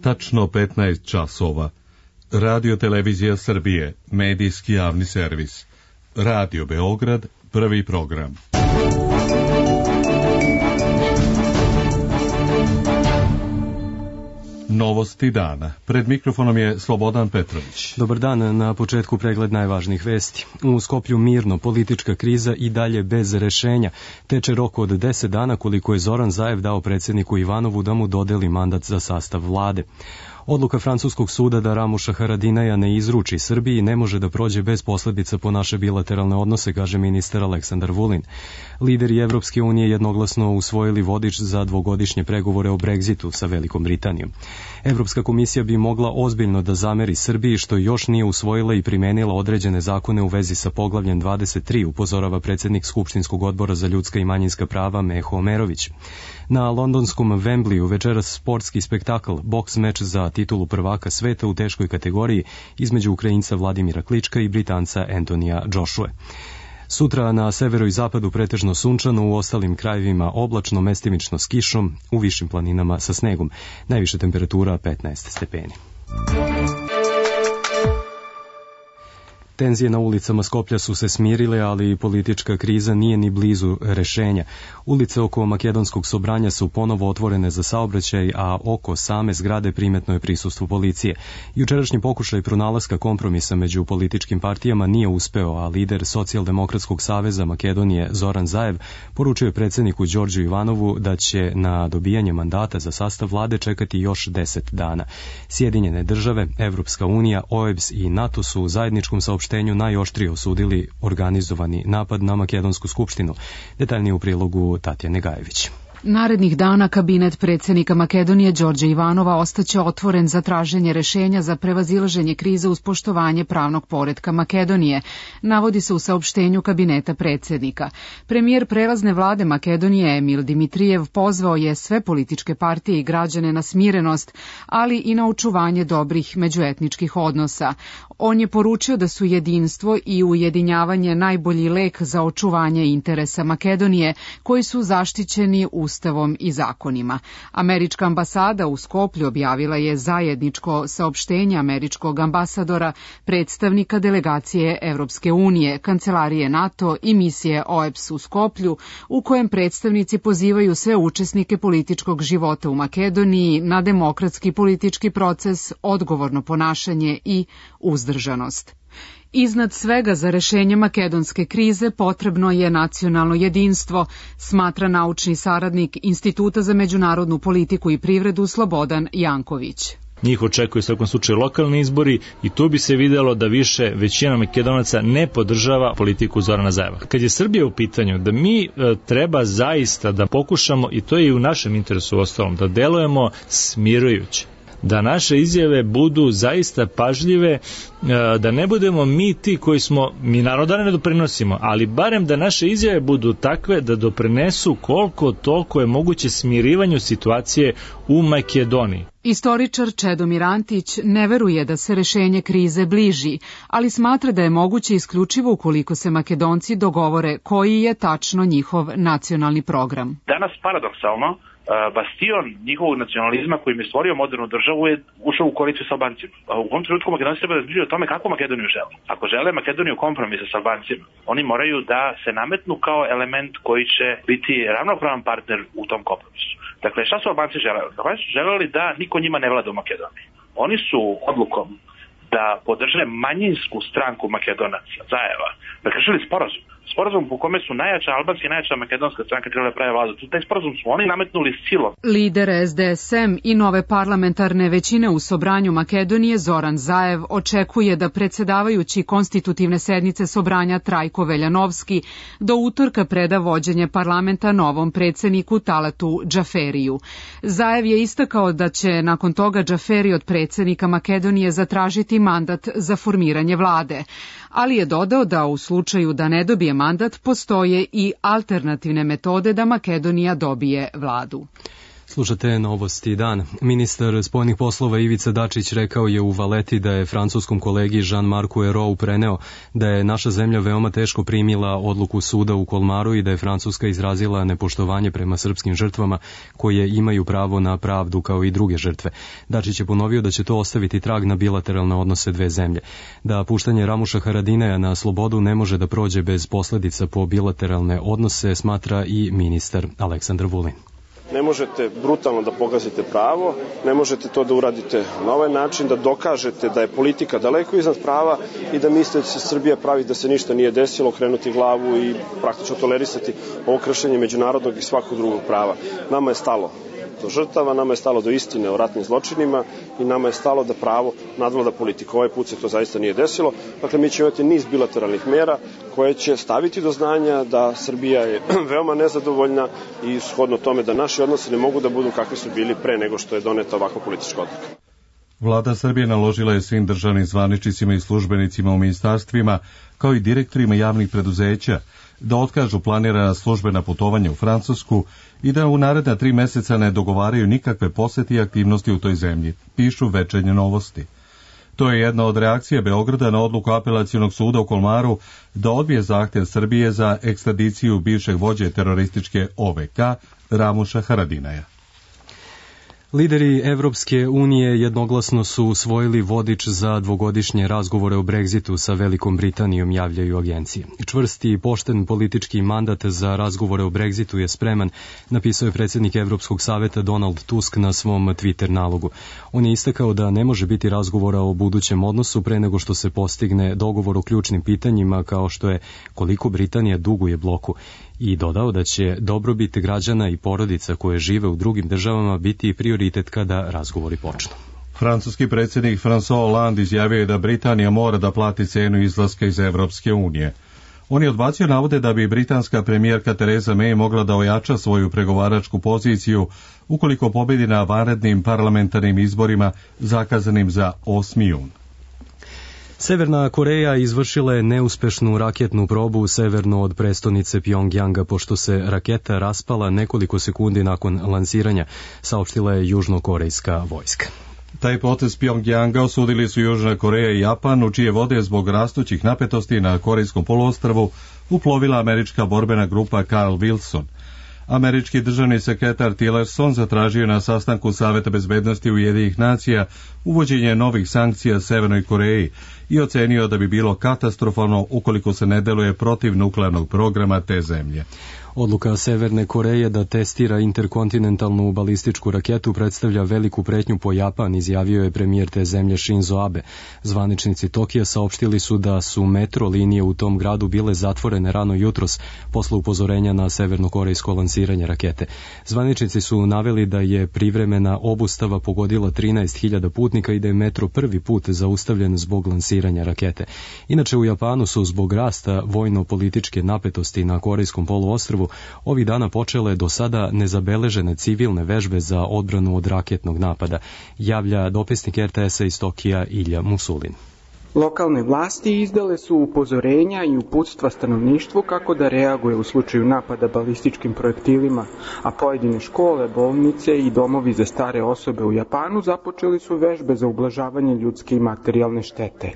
tačno 15 časova. Radio Televizija Srbije, medijski javni servis. Radio Beograd, prvi program. Novosti dana. Pred mikrofonom je Slobodan Petrović. Dobar dan, na početku pregled najvažnijih vesti. U Skoplju mirno, politička kriza i dalje bez rešenja. Teče rok od 10 dana koliko je Zoran Zaev dao predsjedniku Ivanovu da mu dodeli mandat za sastav vlade. Odluka francuskog suda da Ramuša Haradinaja ne izruči Srbiji ne može da prođe bez posljedica po naše bilateralne odnose, kaže ministar Aleksandar Vulin. Lideri Evropske unije jednoglasno usvojili vodič za dvogodišnje pregovore o Brexitu sa Velikom Britanijom. Evropska komisija bi mogla ozbiljno da zameri Srbiji što još nije usvojila i primenila određene zakone u vezi sa poglavljem 23, upozorava predsjednik Skupštinskog odbora za ljudska i manjinska prava Meho Omerović. Na londonskom Wembleyu večeras sportski spektakl, boks meč za titulu prvaka sveta u teškoj kategoriji između Ukrajinca Vladimira Klička i Britanca Antonija Joshua. Sutra na severu i zapadu pretežno sunčano, u ostalim krajevima oblačno, mestimično s kišom, u višim planinama sa snegom. Najviša temperatura 15 stepeni. Tenzije na ulicama Skoplja su se smirile, ali politička kriza nije ni blizu rešenja. Ulice oko Makedonskog Sobranja su ponovo otvorene za saobraćaj, a oko same zgrade primetno je prisustvo policije. Jučerašnji pokušaj pronalaska kompromisa među političkim partijama nije uspeo, a lider Socijaldemokratskog saveza Makedonije Zoran Zaev poručio je predsjedniku Đorđu Ivanovu da će na dobijanje mandata za sastav vlade čekati još 10 dana. Sjedinjene države, Evropska unija, OEBS i NATO su u zajedničkom saopštenju najoštrije osudili organizovani napad na Makedonsku skupštinu. Detaljnije u prilogu Tatjane Gajević. Narednih dana kabinet predsjednika Makedonije Đorđa Ivanova ostaće otvoren za traženje rešenja za prevazilaženje krize uz poštovanje pravnog poretka Makedonije, navodi se u saopštenju kabineta predsjednika. Premijer prelazne vlade Makedonije Emil Dimitrijev pozvao je sve političke partije i građane na smirenost, ali i na očuvanje dobrih međuetničkih odnosa. On je poručio da su jedinstvo i ujedinjavanje najbolji lek za očuvanje interesa Makedonije, koji su zaštićeni Ustavom i zakonima. Američka ambasada u Skoplju objavila je zajedničko saopštenje američkog ambasadora, predstavnika delegacije Evropske unije, kancelarije NATO i misije OEBS u Skoplju, u kojem predstavnici pozivaju sve učesnike političkog života u Makedoniji na demokratski politički proces, odgovorno ponašanje i uzdržanost. Iznad svega za rešenje makedonske krize potrebno je nacionalno jedinstvo, smatra naučni saradnik Instituta za međunarodnu politiku i privredu Slobodan Janković. Njih očekuju u svakom slučaju lokalni izbori i tu bi se videlo da više većina Makedonaca ne podržava politiku Zorana Zaeva. Kad je Srbija u pitanju, da mi treba zaista da pokušamo, i to je i u našem interesu ostalom, da delujemo smirujuće, da naše izjave budu zaista pažljive, da ne budemo mi ti koji smo, mi naroda ne doprinosimo, ali barem da naše izjave budu takve da doprinesu koliko toliko je moguće smirivanju situacije u Makedoniji. Istoričar Čedomir Antić ne veruje da se rešenje krize bliži, ali smatra da je moguće isključivo ukoliko se Makedonci dogovore koji je tačno njihov nacionalni program. Danas paradoksalno bastion njihovog nacionalizma koji im je stvorio modernu državu je ušao u koaliciju sa Albancima. U ovom trenutku Makedonci treba da razmišljaju o tome kako Makedoniju žele. Ako žele Makedoniju kompromisa sa Albancima, oni moraju da se nametnu kao element koji će biti ravnopravan partner u tom kompromisu. Dakle, šta su Albanci želeli? Albanci su želeli da niko njima ne vlada u Makedoniji. Oni su odlukom da podrže manjinsku stranku Makedonaca, Zaeva, prekršili sporazum po kome su najjača albanska i najjača makedonska stranka trebale prave vladu. Taj sporazum su oni nametnuli silom. Lider SDSM i nove parlamentarne većine u Sobranju Makedonije Zoran Zaev očekuje da predsjedavajući konstitutivne sednice Sobranja Trajko Veljanovski do utorka preda vođenje parlamenta novom predsjedniku Talatu Džaferiju. Zaev je istakao da će nakon toga Džaferi od predsjednika Makedonije zatražiti mandat za formiranje vlade, ali je dodao da u slučaju da ne dobije mandat postoje i alternativne metode da Makedonija dobije vladu. Slušate Novosti dan. Ministar spoljnih poslova Ivica Dačić rekao je u Valeti da je francuskom kolegi Jean-Marcu Ayrault preneo da je naša zemlja veoma teško primila odluku suda u Kolmaru i da je Francuska izrazila nepoštovanje prema srpskim žrtvama koje imaju pravo na pravdu kao i druge žrtve. Dačić je ponovio da će to ostaviti trag na bilateralne odnose dve zemlje. Da puštanje Ramuša Haradinaja na slobodu ne može da prođe bez posledica po bilateralne odnose, smatra i ministar Aleksandar Vulin. Ne možete brutalno da pogazite pravo, ne možete to da uradite na ovaj način, da dokažete da je politika daleko iznad prava i da mislite da se Srbija pravi da se ništa nije desilo, okrenuti glavu i praktično tolerisati ovo kršenje međunarodnog i svakog drugog prava. Nama je stalo do žrtava, nama je stalo do istine o ratnim zločinima i nama je stalo da pravo nadvlada politiku. Ovaj put se to zaista nije desilo. Dakle, mi ćemo imati niz bilateralnih mera koje će staviti do znanja da Srbija je veoma nezadovoljna i shodno tome da naši odnosi ne mogu da budu kakvi su bili pre nego što je doneta ovakva politička odluka. Vlada Srbije naložila je svim državnim zvaničnicima i službenicima u ministarstvima, kao i direktorima javnih preduzeća, da otkažu planirana službena putovanja u Francusku i da u naredna 3 meseca ne dogovaraju nikakve posete i aktivnosti u toj zemlji, pišu Večernje novosti. To je jedna od reakcija Beograda na odluku Apelacionog suda u Kolmaru da odbije zahtev Srbije za ekstradiciju bivšeg vođe terorističke OVK Ramuša Haradinaja. Lideri Evropske unije jednoglasno su usvojili vodič za dvogodišnje razgovore o Brexitu sa Velikom Britanijom, javljaju agencije. Čvrsti i pošten politički mandat za razgovore o Brexitu je spreman, napisao je predsjednik Evropskog saveta Donald Tusk na svom Twitter nalogu. On je istakao da ne može biti razgovora o budućem odnosu pre nego što se postigne dogovor o ključnim pitanjima kao što je koliko Britanija duguje bloku, i dodao da će dobrobit građana i porodica koje žive u drugim državama biti prioritet kada razgovori počnu. Francuski predsjednik François Hollande izjavio je da Britanija mora da plati cenu izlaska iz Evropske unije. On je odbacio navode da bi britanska premijerka Theresa May mogla da ojača svoju pregovaračku poziciju ukoliko pobedi na vanrednim parlamentarnim izborima zakazanim za 8. jun. Severna Koreja izvršila je neuspešnu raketnu probu severno od prestonice Pjongjanga pošto se raketa raspala nekoliko sekundi nakon lansiranja, saopštila je južnokorejska vojska. Taj potez Pjongjanga osudili su Južna Koreja i Japan, u čije vode zbog rastućih napetosti na Korejskom poluostrvu uplovila američka borbena grupa Carl Wilson. Američki državni sekretar Tillerson zatražio na sastanku Saveta bezbednosti Ujedinjenih nacija uvođenje novih sankcija Severnoj Koreji i ocenio da bi bilo katastrofalno ukoliko se ne deluje protiv nuklearnog programa te zemlje. Odluka Severne Koreje da testira interkontinentalnu balističku raketu predstavlja veliku pretnju po Japan, izjavio je premijer te zemlje Shinzo Abe. Zvaničnici Tokija saopštili su da su metro linije u tom gradu bile zatvorene rano jutros posle upozorenja na severnokorejsko lansiranje rakete. Zvaničnici su naveli da je privremena obustava pogodila 13.000 putnika i da je metro prvi put zaustavljen zbog lansiranja rakete. Inače u Japanu su zbog rasta vojno-političke napetosti na Korejskom poluostrvu ovih dana počele do sada nezabeležene civilne vežbe za odbranu od raketnog napada, javlja dopisnik RTS-a iz Tokija Ilja Musulin. Lokalne vlasti izdale su upozorenja i uputstva stanovništvu kako da reaguje u slučaju napada balističkim projektilima, a pojedine škole, bolnice i domovi za stare osobe u Japanu započeli su vežbe za ublažavanje ljudske i materijalne štete.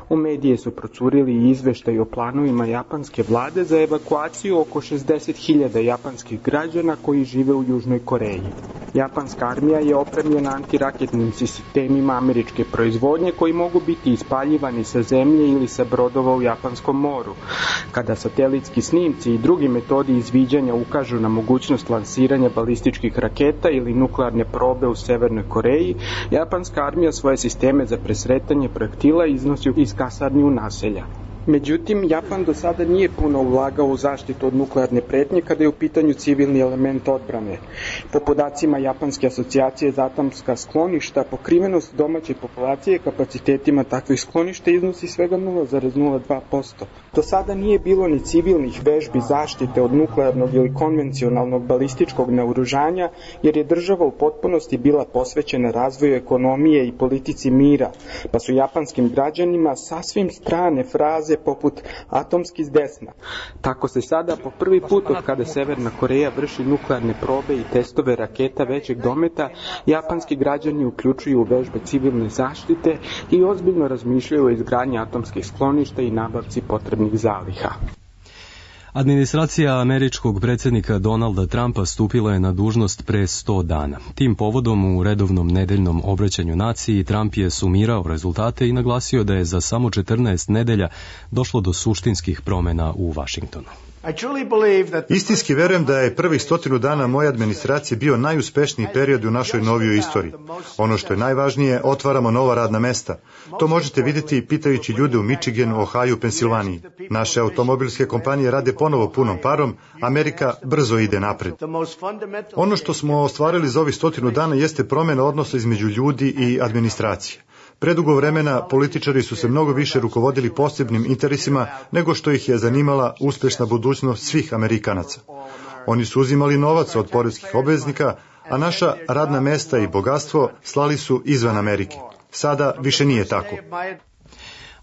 U medije su procurili i izveštaj o planovima japanske vlade za evakuaciju oko 60.000 japanskih građana koji žive u Južnoj Koreji. Japanska armija je opremljena antiraketnim sistemima američke proizvodnje koji mogu biti ispaljivani sa zemlje ili sa brodova u Japanskom moru. Kada satelitski snimci i drugi metodi izviđanja ukažu na mogućnost lansiranja balističkih raketa ili nuklearne probe u Severnoj Koreji, japanska armija svoje sisteme za presretanje projektila iznosi iz kasarni u naselja. Međutim, Japan do sada nije puno ulagao u zaštitu od nuklearne pretnje kada je u pitanju civilni element odbrane. Po podacima Japanske asocijacije za atomska skloništa, pokrivenost domaće populacije kapacitetima takvih skloništa iznosi svega 0,02%. Do sada nije bilo ni civilnih vežbi zaštite od nuklearnog ili konvencionalnog balističkog naoružanja, jer je država u potpunosti bila posvećena razvoju ekonomije i politici mira, pa su japanskim građanima sasvim strane fraze fraze poput atomski s desna. Tako se sada po prvi put od kada Severna Koreja vrši nuklearne probe i testove raketa većeg dometa, japanski građani uključuju u vežbe civilne zaštite i ozbiljno razmišljaju o izgradnji atomskih skloništa i nabavci potrebnih zaliha. Administracija američkog predsjednika Donalda Trumpa stupila je na dužnost pre 100 dana. Tim povodom u redovnom nedeljnom obraćanju naciji Trump je sumirao rezultate i naglasio da je za samo 14 nedelja došlo do suštinskih promjena u Vašingtonu. Istinski verujem da je prvih 100 dana moje administracije bio najuspešniji period u našoj novijoj istoriji. Ono što je najvažnije, otvaramo nova radna mesta. To možete vidjeti pitajući ljude u Michiganu, Ohaju, Pensilvaniji. Naše automobilske kompanije rade ponovo punom parom, Amerika brzo ide napred. Ono što smo ostvarili za ovih 100 dana jeste promjena odnosa između ljudi i administracije. Predugo vremena političari su se mnogo više rukovodili posebnim interesima nego što ih je zanimala uspješna budućnost svih Amerikanaca. Oni su uzimali novac od poreskih obveznika, a naša radna mesta i bogatstvo slali su izvan Amerike. Sada više nije tako.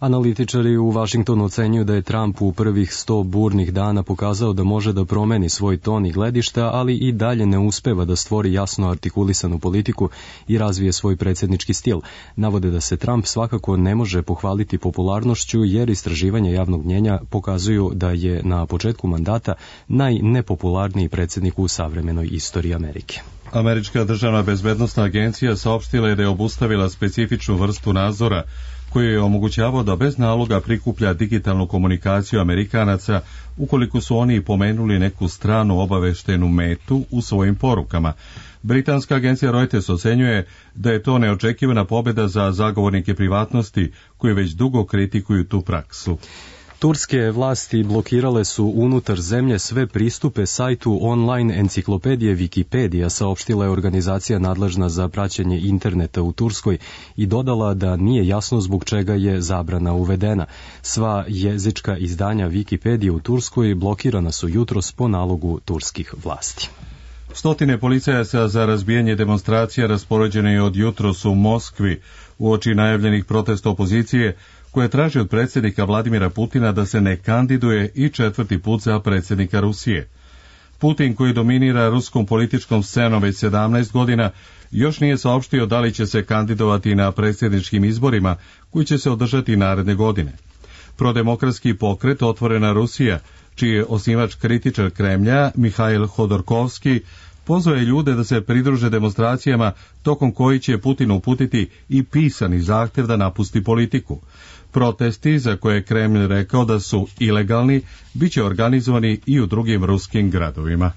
Analitičari u Vašingtonu ocenjuju da je Trump u prvih 100 burnih dana pokazao da može da promeni svoj ton i gledišta, ali i dalje ne uspeva da stvori jasno artikulisanu politiku i razvije svoj predsjednički stil. Navode da se Trump svakako ne može pohvaliti popularnošću jer istraživanja javnog mnjenja pokazuju da je na početku mandata najnepopularniji predsjednik u savremenoj istoriji Amerike. Američka državna bezbednosna agencija saopštila je da je obustavila specifičnu vrstu nadzora koji je omogućavao da bez naloga prikuplja digitalnu komunikaciju Amerikanaca ukoliko su oni pomenuli neku stranu obaveštenu metu u svojim porukama. Britanska agencija Reuters ocenjuje da je to neočekivana pobjeda za zagovornike privatnosti koji već dugo kritikuju tu praksu. Turske vlasti blokirale su unutar zemlje sve pristupe sajtu online enciklopedije Wikipedia, saopštila je organizacija nadležna za praćenje interneta u Turskoj i dodala da nije jasno zbog čega je zabrana uvedena. Sva jezička izdanja Wikipedije u Turskoj blokirana su jutros po nalogu turskih vlasti. Stotine policajaca za razbijanje demonstracija raspoređene je od jutros u Moskvi uoči najavljenih protesta opozicije koje traži od predsjednika Vladimira Putina da se ne kandiduje i 4. put za predsjednika Rusije. Putin, koji dominira ruskom političkom scenom već 17 godina, još nije saopštio da li će se kandidovati na predsjedničkim izborima koji će se održati naredne godine. Prodemokratski pokret Otvorena Rusija, čiji je osnivač kritičar Kremlja Mihail Hodorkovski, pozvao je ljude da se pridruže demonstracijama tokom koji će Putin uputiti i pisani zahtjev da napusti politiku. Protesti, za koje je Kremlj rekao da su ilegalni, bit će organizovani i u drugim ruskim gradovima.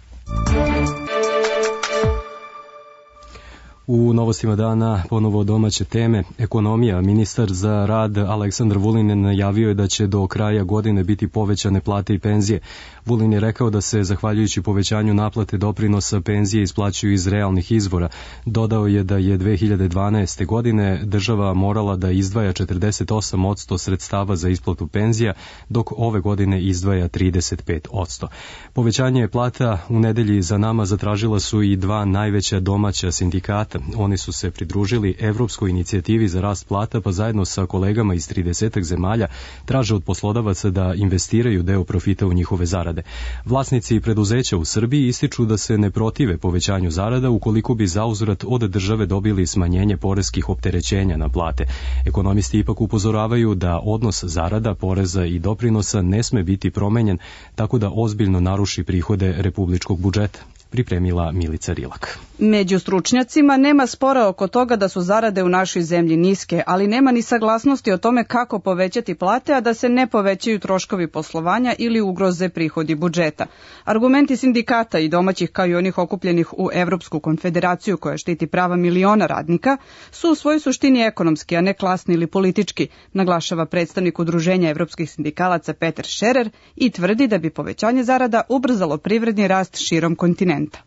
U novostima dana ponovo domaće teme. Ekonomija. Ministar za rad Aleksandar Vulin najavio je da će do kraja godine biti povećane plate i penzije. Vulin je rekao da se, zahvaljujući povećanju naplate doprinosa, penzije isplaćuju iz realnih izvora. Dodao je da je 2012. godine država morala da izdvaja 48% sredstava za isplatu penzija, dok ove godine izdvaja 35%. Povećanje plata u nedelji za nama zatražila su i dva najveća domaća sindikata. Oni su se pridružili Evropskoj inicijativi za rast plata, pa zajedno sa kolegama iz 30 zemalja traže od poslodavaca da investiraju deo profita u njihove zarade. Vlasnici preduzeća u Srbiji ističu da se ne protive povećanju zarada ukoliko bi zauzvrat od države dobili smanjenje poreskih opterećenja na plate. Ekonomisti ipak upozoravaju da odnos zarada, poreza i doprinosa ne sme biti promenjen tako da ozbiljno naruši prihode republičkog budžeta. Pripremila Milica Rilak. Među stručnjacima nema spora oko toga da su zarade u našoj zemlji niske, ali nema ni saglasnosti o tome kako povećati plate, a da se ne povećaju troškovi poslovanja ili ugroze prihodi budžeta. Argumenti sindikata i domaćih kao i onih okupljenih u Evropsku konfederaciju koja štiti prava miliona radnika su u svojoj suštini ekonomski, a ne klasni ili politički, naglašava predstavnik Udruženja evropskih sindikalaca Peter Scherer i tvrdi da bi povećanje zarada ubrzalo privredni rast širom kontinenta.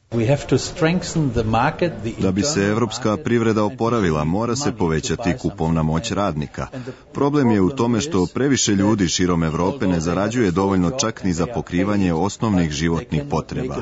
Da bi se evropska privreda oporavila, mora se povećati kupovna moć radnika. Problem je u tome što previše ljudi širom Evrope ne zarađuje dovoljno čak ni za pokrivanje osnovnih životnih potreba.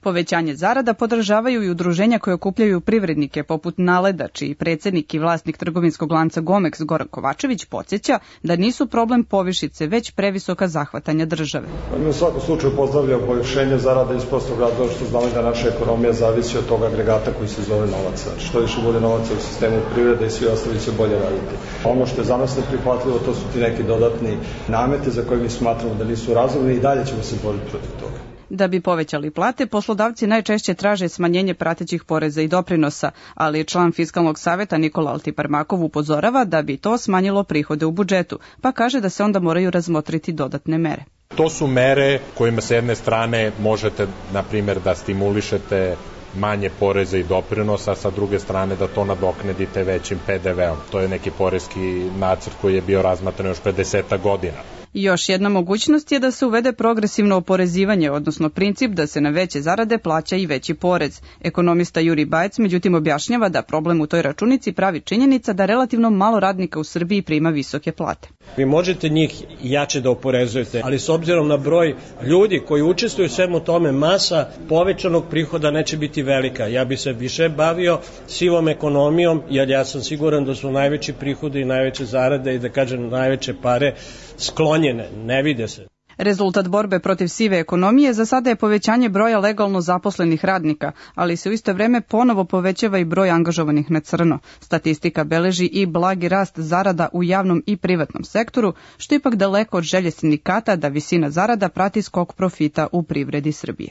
Povećanje zarada podržavaju i udruženja koje okupljaju privrednike poput Naleda, čiji predsjednik i vlasnik trgovinskog lanca Gomex Goran Kovačević podsjeća da nisu problem povišice, već previsoka zahvatanja države. Mi u svakom slučaju pozdravljamo povišenje zarada iz prostog razloga što znamo da naša ekonomija zavisi od tog agregata koji se zove novac. Što više bude novaca u sistemu privrede i svi ostali će bolje raditi. Ono što je za nas neprihvatljivo, to su ti neki dodatni namete za koje mi smatramo da nisu razumni i dalje ćemo se boriti protiv toga. Da bi povećali plate, poslodavci najčešće traže smanjenje pratećih poreza i doprinosa, ali član Fiskalnog saveta Nikola Altiparmakov upozorava da bi to smanjilo prihode u budžetu, pa kaže da se onda moraju razmotriti dodatne mere. To su mere kojima s jedne strane možete, na primjer, da stimulišete manje poreza i doprinosa, a sa druge strane da to nadoknadite većim PDV-om. To je neki poreski nacrt koji je bio razmatran još pre 10 godina. Još jedna mogućnost je da se uvede progresivno oporezivanje, odnosno princip da se na veće zarade plaća i veći porez. Ekonomista Juri Bajec međutim objašnjava da problem u toj računici pravi činjenica da relativno malo radnika u Srbiji prima visoke plate. Vi možete njih jače da oporezujete, ali s obzirom na broj ljudi koji učestvuju u svemu tome, masa povećanog prihoda neće biti velika. Ja bi se više bavio sivom ekonomijom, jer ja sam siguran da su najveći prihodi i najveće zarade i da kažem najveće pare sklonjene, ne vide se. Rezultat borbe protiv sive ekonomije za sada je povećanje broja legalno zaposlenih radnika, ali se u isto vreme ponovo povećava i broj angažovanih na crno. Statistika beleži i blagi rast zarada u javnom i privatnom sektoru, što je ipak daleko od želje sindikata da visina zarada prati skok profita u privredi Srbije.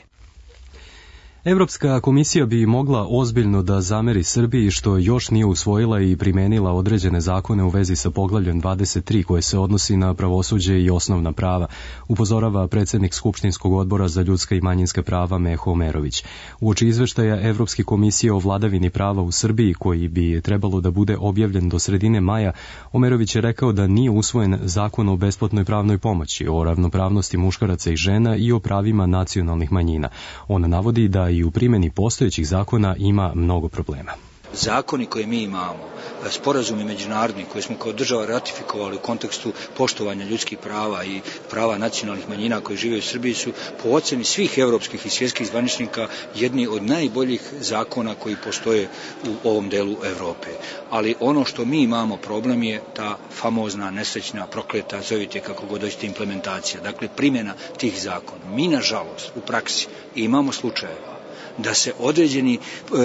Evropska komisija bi mogla ozbiljno da zameri Srbiji što još nije usvojila i primenila određene zakone u vezi sa poglavljem 23 koje se odnosi na pravosuđe i osnovna prava, upozorava predsjednik Skupštinskog odbora za ljudska i manjinska prava Meho Omerović. Uoči izveštaja Evropske komisije o vladavini prava u Srbiji, koji bi trebalo da bude objavljen do sredine maja, Omerović je rekao da nije usvojen zakon o besplatnoj pravnoj pomoći, o ravnopravnosti muškaraca i žena i o pravima nacionalnih manjina. On navodi da i u primjeni postojećih zakona ima mnogo problema. Zakoni koje mi imamo, sporazumi međunarodni koje smo kao država ratifikovali u kontekstu poštovanja ljudskih prava i prava nacionalnih manjina koji žive u Srbiji su po oceni svih evropskih i svjetskih zvaničnika jedni od najboljih zakona koji postoje u ovom delu Evrope. Ali ono što mi imamo problem je ta famozna, nesrećna, prokleta, zovite kako god hoćete, implementacija. Dakle, primjena tih zakona. Mi, nažalost, u praksi imamo slučajeva da se određeni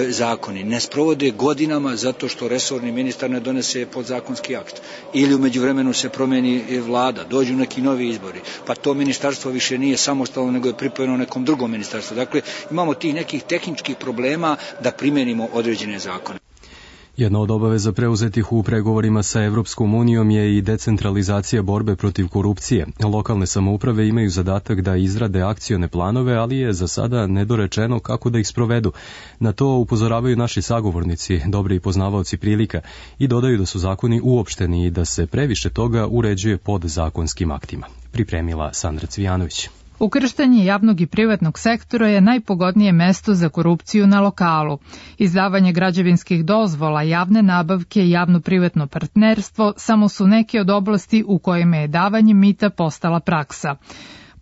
zakoni ne sprovode godinama zato što resorni ministar ne donese podzakonski akt. Ili u međuvremenu se promeni vlada, dođu neki novi izbori, pa to ministarstvo više nije samostalno nego je pripojeno nekom drugom ministarstvu. Dakle, imamo tih nekih tehničkih problema da primenimo određene zakone. Jedna od obaveza preuzetih u pregovorima sa Evropskom unijom je i decentralizacija borbe protiv korupcije. Lokalne samouprave imaju zadatak da izrade akcione planove, ali je za sada nedorečeno kako da ih sprovedu. Na to upozoravaju naši sagovornici, dobri poznavaoci prilika, i dodaju da su zakoni uopšteni i da se previše toga uređuje podzakonskim aktima. Pripremila Sandra Cvijanović. Ukrštanje javnog i privatnog sektora je najpogodnije mesto za korupciju na lokalu. Izdavanje građevinskih dozvola, javne nabavke i javno-privatno partnerstvo samo su neke od oblasti u kojima je davanje mita postala praksa.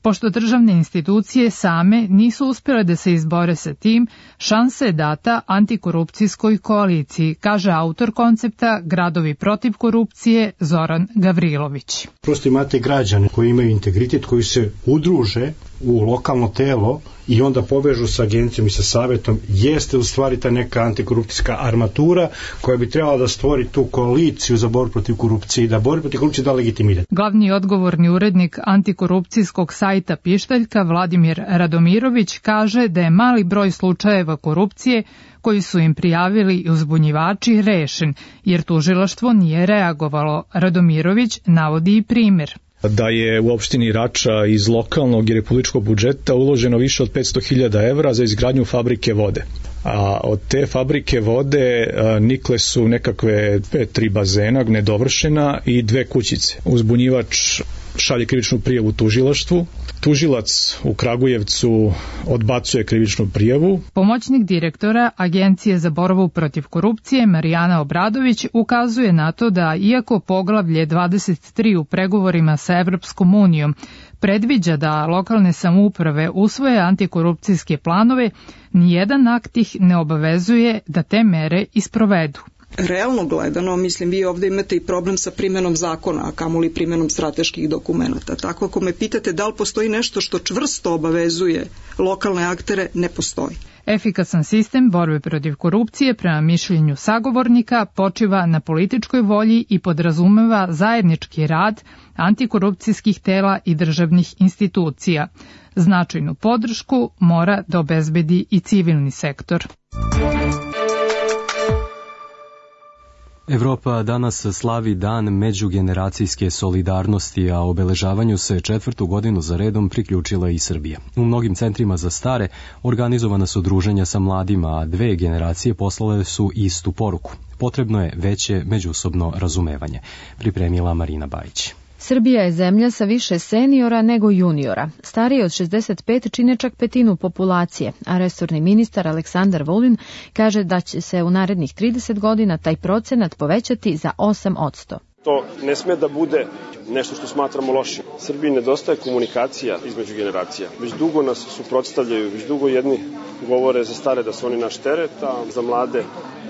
Pošto državne institucije same nisu uspjele da se izbore sa tim, šansa je data antikorupcijskoj koaliciji, kaže autor koncepta Gradovi protiv korupcije Zoran Gavrilović. Prosto imate građane koji imaju integritet, koji se udruže u lokalno telo i onda povežu sa agencijom i sa savjetom, jeste u stvari ta neka antikorupcijska armatura koja bi trebala da stvori tu koaliciju za borbu protiv korupcije i da borbu protiv korupcije da legitimitet. Glavni odgovorni urednik antikorupcijskog sajta Pištaljka Vladimir Radomirović kaže da je mali broj slučajeva korupcije koji su im prijavili i uzbunjivači rešen, jer tužilaštvo nije reagovalo. Radomirović navodi i primjer. Da je u opštini Rača iz lokalnog i republičkog budžeta uloženo više od 500.000 evra za izgradnju fabrike vode. A od te fabrike vode nikle su nekakve 3 bazena nedovršena i 2 kućice. Uzbunjivač šalje krivičnu prijavu tužilaštvu. Tužilac u Kragujevcu odbacuje krivičnu prijavu. Pomoćnik direktora Agencije za borbu protiv korupcije Marijana Obradović ukazuje na to da iako poglavlje 23 u pregovorima sa Evropskom unijom predviđa da lokalne samouprave usvoje antikorupcijske planove, nijedan akt ih ne obavezuje da te mere isprovedu. Realno gledano, mislim, vi ovde imate i problem sa primenom zakona, a kamoli primenom strateških dokumenata. Tako ako me pitate da li postoji nešto što čvrsto obavezuje lokalne aktere, ne postoji. Efikasan sistem borbe protiv korupcije, prema mišljenju sagovornika, počiva na političkoj volji i podrazumeva zajednički rad antikorupcijskih tela i državnih institucija. Značajnu podršku mora da obezbedi i civilni sektor. Evropa danas slavi Dan međugeneracijske solidarnosti, a obeležavanju se 4. godinu za redom priključila i Srbija. U mnogim centrima za stare organizovana su druženja sa mladima, a 2 generacije poslale su istu poruku. Potrebno je veće međusobno razumevanje, pripremila Marina Bajić. Srbija je zemlja sa više seniora nego juniora. Stariji od 65 čine čak petinu populacije, a resorni ministar Aleksandar Vulin kaže da će se u narednih 30 godina taj procenat povećati za 8%. To ne sme da bude nešto što smatramo lošim. Srbiji nedostaje komunikacija između generacija. Već dugo nas suprotstavljaju, već dugo jedni govore za stare da su oni naš teret, a za mlade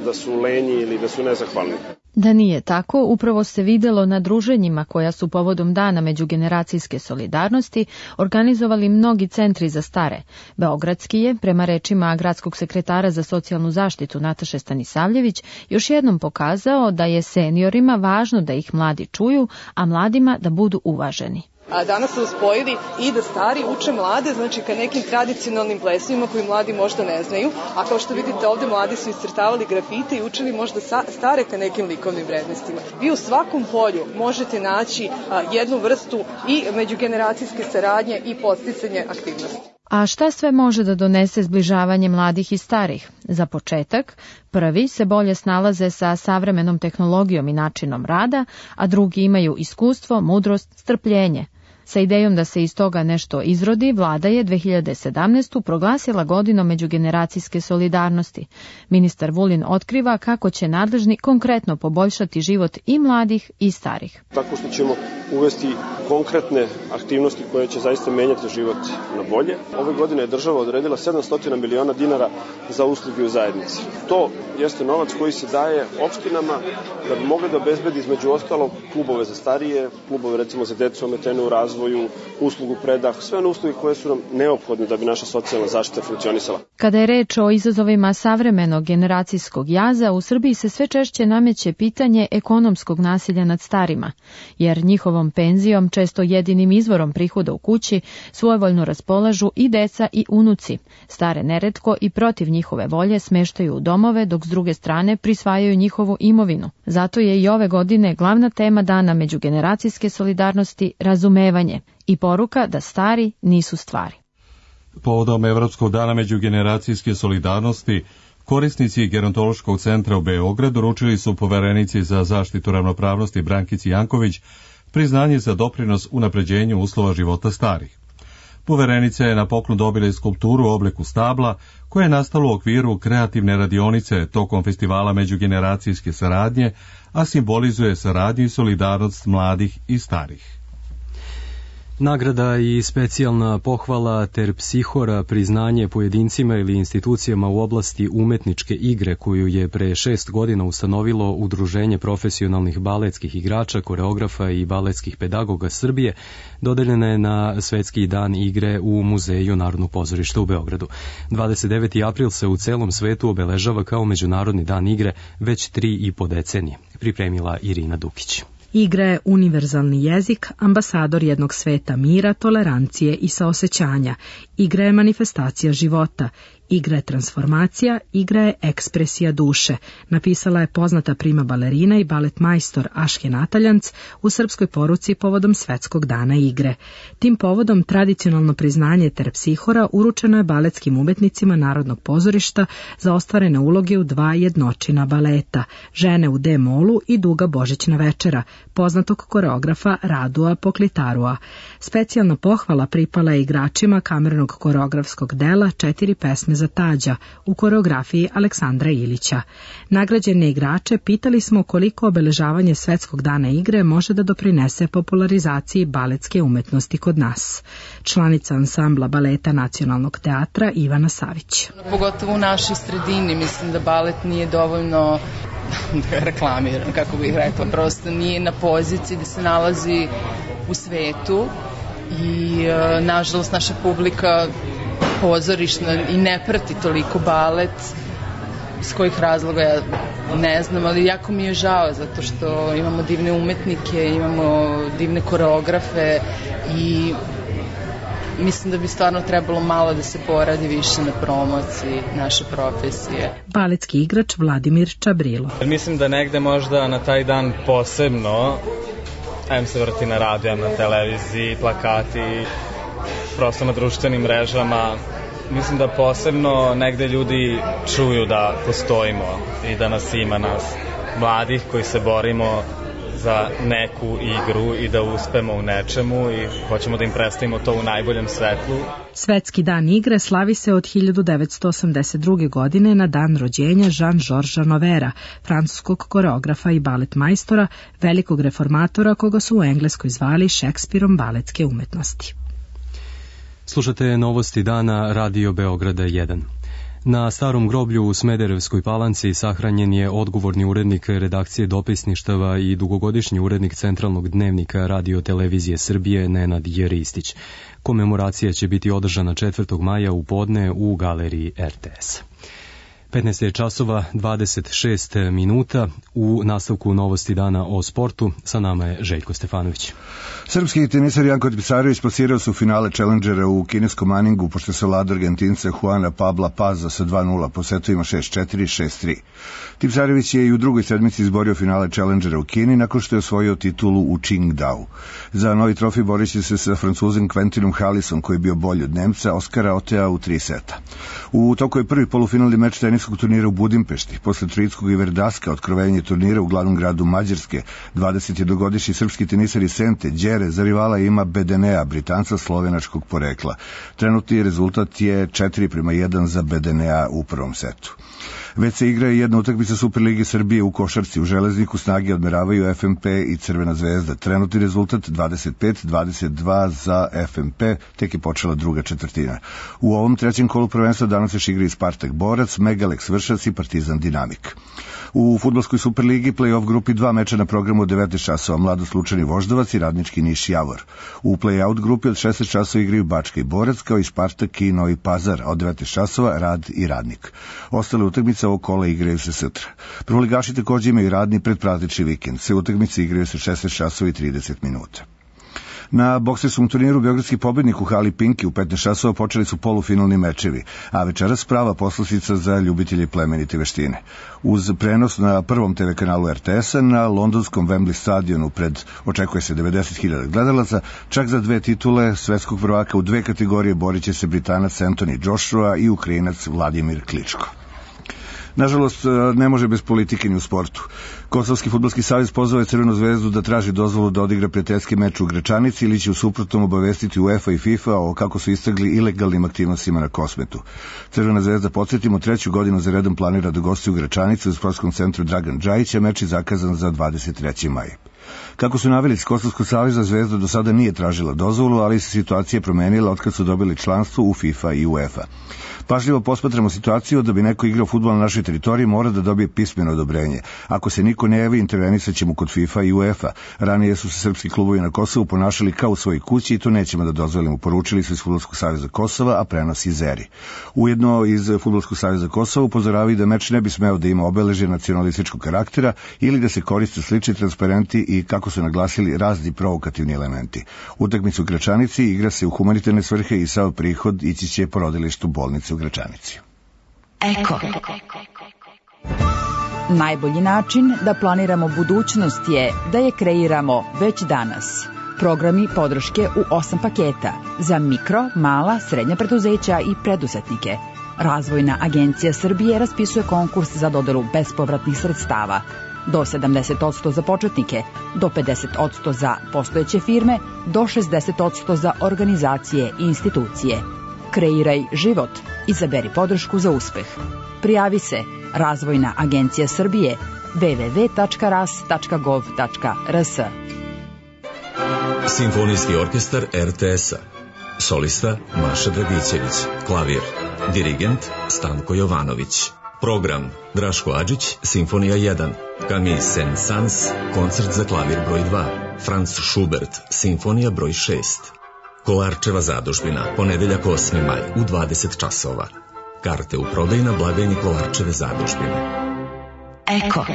da su lenji ili da su nezahvalni. Da nije tako, upravo se videlo na druženjima koja su povodom Dana međugeneracijske solidarnosti organizovali mnogi centri za stare. Beogradski je, prema rečima gradskog sekretara za socijalnu zaštitu Nataše Stanisavljević, još jednom pokazao da je seniorima važno da ih mladi čuju, a mladima da budu uvaženi. A danas su uspojili i da stari uče mlade, znači ka nekim tradicionalnim plesovima koji mladi možda ne znaju, a kao što vidite ovde mladi su iscrtavali grafite i učili možda stare ka nekim likovnim vrednostima. Vi u svakom polju možete naći jednu vrstu i međugeneracijske saradnje i podsticanje aktivnosti. A šta sve može da donese zbližavanje mladih i starih? Za početak, prvi se bolje snalaze sa savremenom tehnologijom i načinom rada, a drugi imaju iskustvo, mudrost, strpljenje. Sa idejom da se iz toga nešto izrodi, vlada je 2017. proglasila godinom međugeneracijske solidarnosti. Ministar Vulin otkriva kako će nadležni konkretno poboljšati život i mladih i starih. Tako što ćemo uvesti konkretne aktivnosti koje će zaista menjati život na bolje. Ove godine je država odredila 700 miliona dinara za usluge u zajednici. To jeste novac koji se daje opštinama da bi mogli da obezbedi između ostalog klubove za starije, klubove recimo za decu ometenu u razvoju, uslugu predah, sve one usluge koje su nam neophodne da bi naša socijalna zaštita funkcionisala. Kada je reč o izazovima savremenog generacijskog jaza, u Srbiji se sve češće nameće pitanje ekonomskog nasilja nad starima, jer njihovom penzijom, često jedinim izvorom prihoda u kući, svojevoljno raspolažu i deca i unuci. Stare neretko i protiv njihove volje smeštaju u domove, dok s druge strane prisvajaju njihovu imovinu. Zato je i ove godine glavna tema Dana međugeneracijske solidarnosti razumevanje i poruka da stari nisu stvari. Povodom Evropskog dana međugeneracijske solidarnosti, korisnici Gerontološkog centra u Beogradu uručili su poverenici za zaštitu ravnopravnosti Brankici Janković priznanje za doprinos unapređenju uslova života starih. Poverenica je na poklon dobila i skulpturu u obliku stabla, koja je nastala u okviru kreativne radionice tokom festivala međugeneracijske saradnje, a simbolizuje saradnju i solidarnost mladih i starih. Nagrada i specijalna pohvala ter psihora priznanje pojedincima ili institucijama u oblasti umetničke igre koju je pre 6 godina ustanovilo Udruženje profesionalnih baletskih igrača, koreografa i baletskih pedagoga Srbije, dodeljena je na Svetski dan igre u Muzeju Narodnog pozorišta u Beogradu. 29. april se u celom svetu obeležava kao Međunarodni dan igre već 3,5 decenije, pripremila Irina Dukić. Igra je univerzalni jezik, ambasador jednog sveta mira, tolerancije i saosećanja. Igra je manifestacija života. Igra je transformacija, igra je ekspresija duše, napisala je poznata prima balerina i balet majstor Aške Nataljanc u srpskoj poruci povodom Svetskog dana igre. Tim povodom tradicionalno priznanje terpsihora uručeno je baletskim umetnicima Narodnog pozorišta za ostvarene uloge u 2 jednočina baleta, Žene u D-molu i Duga božićna večera, poznatog koreografa Radua Poklitarua. Specijalna pohvala pripala je igračima kamernog koreografskog dela 4 pesme za Tađa u koreografiji Aleksandra Ilića. Nagrađene igrače pitali smo koliko obeležavanje Svetskog dana igre može da doprinese popularizaciji baletske umetnosti kod nas. Članica ansambla baleta Nacionalnog teatra Ivana Savić. Pogotovo u našoj sredini mislim da balet nije dovoljno reklamiran, kako bih rekla, prosto nije na poziciji da se nalazi u svetu i nažalost naša publika pozorišna i ne prati toliko balet, iz kojih razloga ja ne znam, ali jako mi je žao zato što imamo divne umetnike, imamo divne koreografe i mislim da bi stvarno trebalo malo da se poradi više na promociji naše profesije. Baletski igrač Vladimir Čabrilo. Mislim da negde možda na taj dan posebno se vrti na radiju, na televiziji, plakati, prosto na društvenim mrežama. Mislim da posebno negde ljudi čuju da postojimo i da nas ima, nas mladih koji se borimo za neku igru i da uspemo u nečemu i hoćemo da im predstavimo to u najboljem svetlu. Svetski dan igre slavi se od 1982. godine na dan rođenja Jean-Georgesa Novera, francuskog koreografa i balet majstora, velikog reformatora koga su u Engleskoj zvali Šekspirom baletske umetnosti. Slušate novosti dana Radio Beograda 1. Na starom groblju u Smederevskoj Palanci sahranjen je odgovorni urednik redakcije dopisništava i dugogodišnji urednik Centralnog dnevnika Radio Televizije Srbije Nenad Jeristić. Komemoracija će biti održana 4. maja u podne u galeriji RTS. 15 je časova 26 minuta. U nastavku novosti dana o sportu sa nama je Željko Stefanović. Srpski tenisar Janko Tipsarević plasirao se u finale Challengera u kineskom Maningu pošto se vlada Argentinca Juana Pabla Paza sa 2-0 po setovima 6-4 i 6-3. Tipsarević je i u drugoj sedmici izborio finale Challengera u Kini nakon što je osvojio titulu u Qingdao. Za novi trofej borit će se sa Francuzom Quentinom Halisom koji je bio bolji od Nemca, Oskara Otea u 3 seta. U toku je prvi polufinalni meč teniskog turnira u Budimpešti. Posle Troickog i Verdaska otkrovenje turnira u glavnom gradu Mađarske, 21-godišnji srpski tenisar iz Sente Đere za rivala ima Bedenea, Britanca slovenačkog porekla. Trenutni rezultat je 4-1 za Bedenea u prvom setu. Već se igra i jedna utakmica Superlige Srbije u košarci. U Železniku snage odmeravaju FNP i Crvena zvezda. Trenutni rezultat 25-22 za FNP, tek je počela druga četvrtina. U ovom trećem kolu prvenstva danas još igra i Spartak Borac, Megaleks Vršac i Partizan Dinamik. U fudbalskoj Superligi play-off grupi 2 meča na programu od 19 časova, Mladost Lučani Voždovac i Radnički Niš Javor. U play-out grupi od 16 časova igraju Bačka i Borac, kao i Spartak i Novi Pazar, a od 19 časova Rad i Radnik. Ostale utakmice ovog kola igraju se sutra. Prvoligaši također imaju radni predpraznični vikend. Sve utakmice igraju se 16 časova i 30 minuta. Na bokserskom turniru Beogradski pobednik u hali Pinki u 15 časova počeli su polufinalni mečevi, a večeras prava poslastica za ljubitelje plemenite veštine. Uz prenos na prvom TV kanalu RTS-a na londonskom Wembley stadionu očekuje se 90.000 gledalaca, čak za 2 titule svetskog prvaka u 2 kategorije borit će se Britanac Anthony Joshua i Ukrajinac Vladimir Kličko. Nažalost, ne može bez politike ni u sportu. Kosovski fudbalski savez pozvao je Crvenu zvezdu da traži dozvolu da odigra prijateljski meč u Gračanici ili će u suprotnom obavestiti UEFA i FIFA o kako su istakli ilegalnim aktivnostima na Kosmetu. Crvena zvezda, podsjetimo, 3. godinu za redom planira da gosti u Gračanici u sportskom centru Dragan Džajić, a meč je zakazan za 23. maj. Kako su naveli iz Kosovskog saveza, Zvezda do sada nije tražila dozvolu, ali se situacija promenila otkad su dobili članstvo u FIFA i UEFA. Pažljivo posmatramo situaciju da bi neko igrao fudbal na našoj teritoriji mora da dobije pismeno odobrenje. Ako se niko ne javi, intervenisat ćemo kod FIFA i UEFA. Ranije su se srpski klubovi na Kosovu ponašali kao u svojoj kući i to nećemo da dozvolimo, poručili su iz Fudbalskog saveza Kosova, a prenosi Zeri. Ujedno iz Fudbalskog saveza Kosova upozoravaju da meč ne bi smeo da ima obeležje nacionalističkog karaktera ili da se koriste slični transparenti i, kako su naglasili, razni provokativni elementi. Utakmicu u Gračanici igra se u humanitarne svrhe i sav prihod ići će porodilištu bolnice u Gračanici. Eko. Najbolji način da planiramo budućnost je da je kreiramo već danas. Programi podrške u 8 paketa za mikro, mala, srednja preduzeća i preduzetnike. Razvojna agencija Srbije raspisuje konkurs za dodelu bespovratnih sredstava. Do 70% za početnike, do 50% za postojeće firme, do 60% za organizacije i institucije. Kreiraj život. Izaberi podršku za uspeh. Prijavi se Razvojna agencija Srbije www.ras.gov.rs. Simfonijski orkestar RTS-a. Solista Maša Dragićević. Klavir. Dirigent Stanko Jovanović. Program Draško Adžić, Simfonija 1. Camille Saint-Saëns, koncert za klavir broj 2. Franz Schubert, Simfonija broj 6. Kolarčeva zadužbina, ponedeljak 8. maj u 20 časova. Karte u prodaju na blagajni Kolarčeve zadužbine. Eko.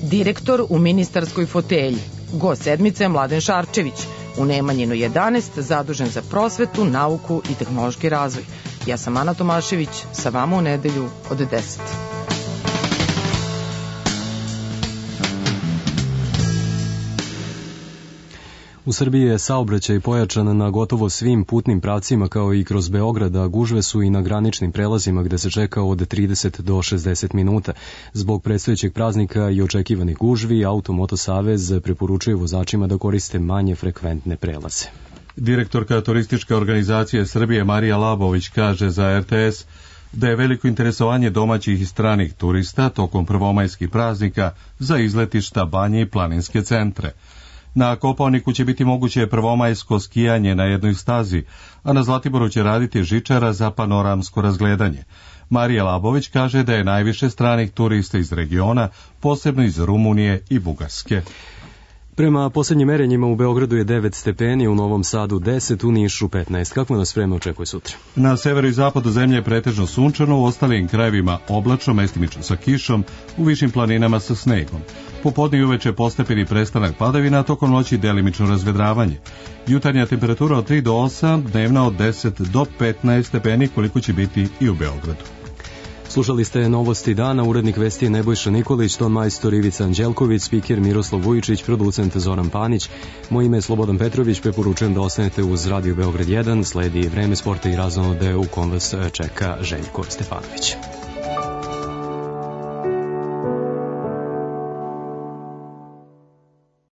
Direktor u ministarskoj fotelji. Gost sedmice Mladen Šarčević. U Nemanjinu 11, zadužen za prosvetu, nauku i tehnološki razvoj. Ja sam Ana Tomašević, sa vama u nedelju od 10. U Srbiji je saobraćaj pojačan na gotovo svim putnim pravcima kao i kroz Beograd, a gužve su i na graničnim prelazima gde se čeka od 30 do 60 minuta. Zbog predstojećeg praznika i očekivanih gužvi, Auto-Moto Savez preporučuje vozačima da koriste manje frekventne prelaze. Direktorka turističke organizacije Srbije Marija Labović kaže za RTS da je veliko interesovanje domaćih i stranih turista tokom prvomajskih praznika za izletišta, banje i planinske centre. Na Kopaoniku će biti moguće prvomajsko skijanje na jednoj stazi, a na Zlatiboru će raditi žičara za panoramsko razgledanje. Marija Labović kaže da je najviše stranih turista iz regiona, posebno iz Rumunije i Bugarske. Prema poslednjim merenjima u Beogradu je 9 stepeni, u Novom Sadu 10, u Nišu 15. Kako nas vreme očekuje sutra? Na severu i zapadu zemlje je pretežno sunčano, u ostalim krajevima oblačno, mestimično sa kišom, u višim planinama sa snegom. Popodne i uveče postepeni prestanak padavina, a tokom noći delimično razvedravanje. Jutarnja temperatura od 3 do 8, dnevna od 10 do 15 stepeni, koliko će biti i u Beogradu. Slušali ste novosti dana, urednik vesti je Nebojša Nikolić, ton majstor Ivica Anđelković, spiker Miroslav Vujičić, producent Zoran Panić. Moje ime je Slobodan Petrović, preporučujem da ostanete uz Radio Beograd 1, sledi Vreme sporta i razonode u kom vas čeka Željko Stefanović.